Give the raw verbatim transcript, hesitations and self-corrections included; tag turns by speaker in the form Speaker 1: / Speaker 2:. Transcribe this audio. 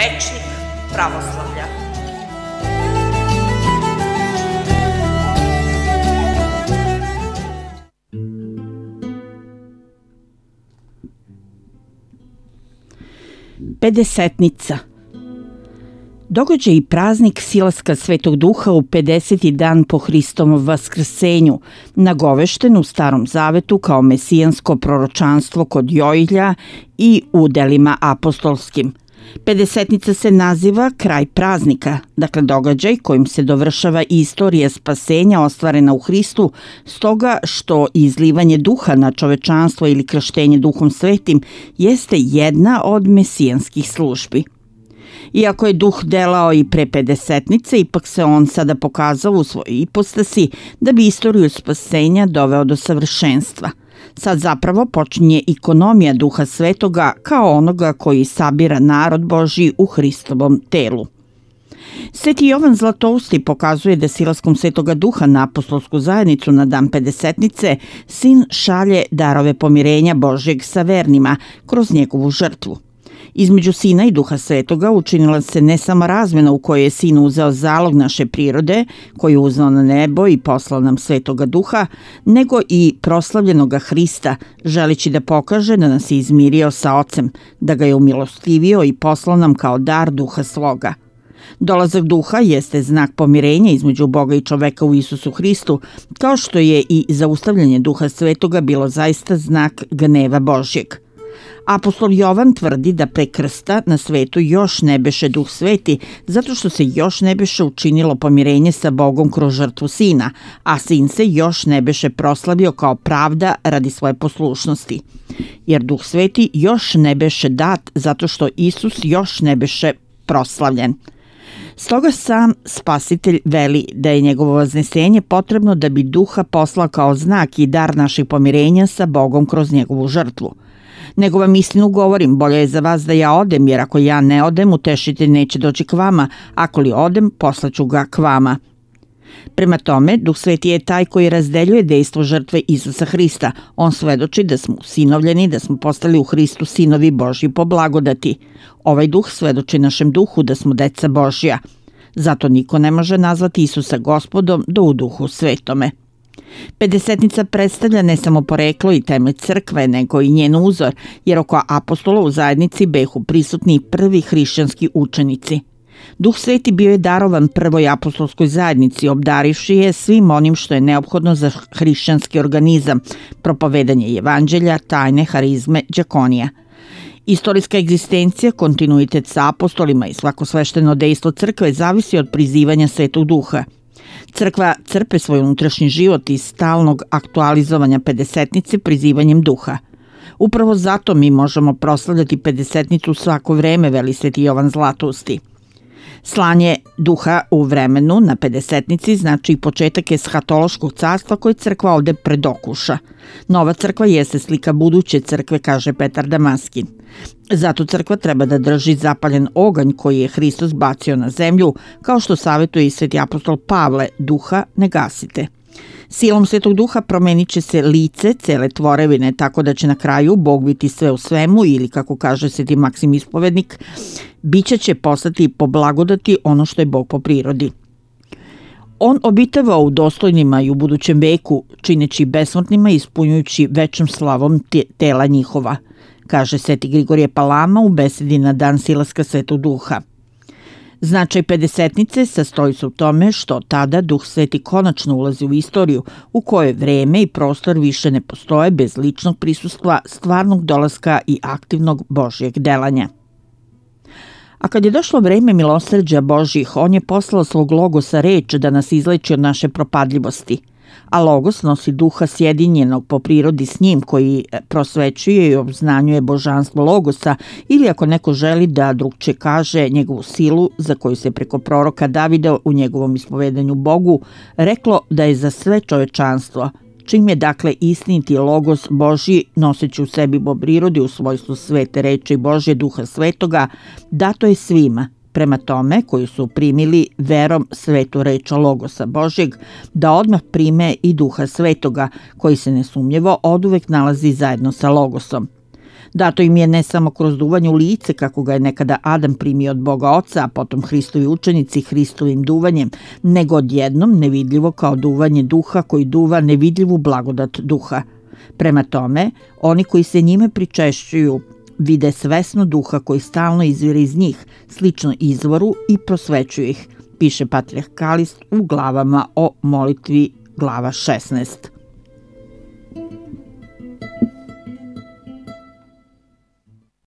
Speaker 1: rečnik pravoslavlja.
Speaker 2: Pedesetnica. Događaj i praznik silaska Svetog Duha u pedeseti dan po Hristovom vaskrsenju, nagovešten u Starom zavetu kao mesijansko proročanstvo kod Joilja i u delima apostolskim. Pedesetnica se naziva kraj praznika, dakle događaj kojim se dovršava istorija spasenja ostvarena u Hristu, stoga što izlivanje duha na čovečanstvo ili krštenje Duhom Svetim jeste jedna od mesijanskih službi. Iako je duh delao i pre pedesetnice, ipak se on sada pokazao u svojoj ipostasi da bi istoriju spasenja doveo do savršenstva. Sad zapravo počinje ikonomija Duha Svetoga kao onoga koji sabira narod Božji u Hristovom telu. Sveti Jovan Zlatousti pokazuje da silaskom Svetoga Duha na apostolsku zajednicu na dan pedesetnice sin šalje darove pomirenja Božjeg sa vernima kroz njegovu žrtvu. Između Sina i Duha Svetoga učinila se ne samo razmena u kojoj je Sin uzeo zalog naše prirode, koji je uznao na nebo i poslao nam Svetoga Duha, nego i proslavljenoga Hrista, želeći da pokaže da nas je izmirio sa Ocem, da ga je umilostivio i poslao nam kao dar Duha svoga. Dolazak Duha jeste znak pomirenja između Boga i čoveka u Isusu Hristu, kao što je i zaustavljanje Duha Svetoga bilo zaista znak gneva Božjeg. Apostol Jovan tvrdi da pre krsta na svetu još ne beše Duh Sveti, zato što se još ne beše učinilo pomirenje sa Bogom kroz žrtvu Sina, a Sin se još ne beše proslavio kao pravda radi svoje poslušnosti. Jer Duh Sveti još ne beše dat, zato što Isus još ne beše proslavljen. Stoga sam Spasitelj veli da je njegovo vaznesenje potrebno da bi Duha poslao kao znak i dar našeg pomirenja sa Bogom kroz njegovu žrtvu. Nego vam istinu govorim, bolje je za vas da ja odem, jer ako ja ne odem, utešitelj neće doći k vama, ako li odem, poslaću ga k vama. Prema tome, Duh Sveti je taj koji razdeljuje dejstvo žrtve Isusa Hrista. On svedoči da smo usinovljeni, da smo postali u Hristu sinovi Božji po blagodati. Ovaj Duh svedoči našem duhu da smo deca Božja. Zato niko ne može nazvati Isusa Gospodom do u Duhu Svetome. Pedesetnica predstavlja ne samo poreklo i temelj crkve, nego i njen uzor, jer oko apostola u zajednici behu prisutni prvi hrišćanski učenici. Duh Sveti bio je darovan prvoj apostolskoj zajednici, obdarivši je svim onim što je neophodno za hrišćanski organizam, propovedanje evanđelja, tajne, harizme, đakonija. Istorijska egzistencija, kontinuitet sa apostolima i svako svešteno dejstvo crkve zavisi od prizivanja Svetog Duha. Crkva crpe svoj unutrašnji život iz stalnog aktualizovanja pedesetnice prizivanjem Duha. Upravo zato mi možemo proslavljati pedesetnicu svako vreme, veli Sveti Jovan Zlatousti. Slanje Duha u vremenu na pedesetnici znači početak eshatološkog carstva koje crkva ovde predokuša. Nova crkva jeste slika buduće crkve, kaže Petar Damaskin. Zato crkva treba da drži zapaljen oganj koji je Hristos bacio na zemlju, kao što savjetuje i sveti apostol Pavle, duha ne gasite. Silom Svetog Duha promenit će se lice cele tvorevine, tako da će na kraju Bog biti sve u svemu ili, kako kaže sveti Maksim Ispovednik, biće će postati po blagodati ono što je Bog po prirodi. On obitava u dostojnima i u budućem veku, čineći besmrtnima i ispunjujući večnom slavom tela njihova, kaže sveti Grigorije Palama u besedi na dan silaska Svetog Duha. Značaj pedesetnice sastoji se u tome što tada Duh Sveti konačno ulazi u istoriju u kojoj vreme i prostor više ne postoje bez ličnog prisustva, stvarnog dolaska i aktivnog Božjeg delanja. A kad je došlo vreme milosrđa Božjih, on je poslao svog logosa reč da nas izleči od naše propadljivosti. A logos nosi duha sjedinjenog po prirodi s njim koji prosvećuje i obznanjuje božanstvo logosa ili ako neko želi da drugče kaže njegovu silu za koju se preko proroka Davida u njegovom ispovedanju Bogu reklo da je za sve čovečanstvo, čim je dakle istiniti logos Božji noseći u sebi po prirodi u svojstvu svete reči Božje duha svetoga, dato je svima, prema tome koji su primili verom svetu reč logosa Božjeg, da odmah prime i duha svetoga, koji se nesumnjivo oduvek nalazi zajedno sa logosom. Dato im je ne samo kroz duvanje u lice, kako ga je nekada Adam primio od Boga Oca, a potom Hristovi učenici Hristovim duvanjem, nego odjednom nevidljivo kao duvanje duha koji duva nevidljivu blagodat duha. Prema tome, oni koji se njime pričešćuju vide svesno duha koji stalno izvire iz njih, slično izvoru i prosvećuje ih, piše patrijarh Kalist u glavama o molitvi glava šesnaest.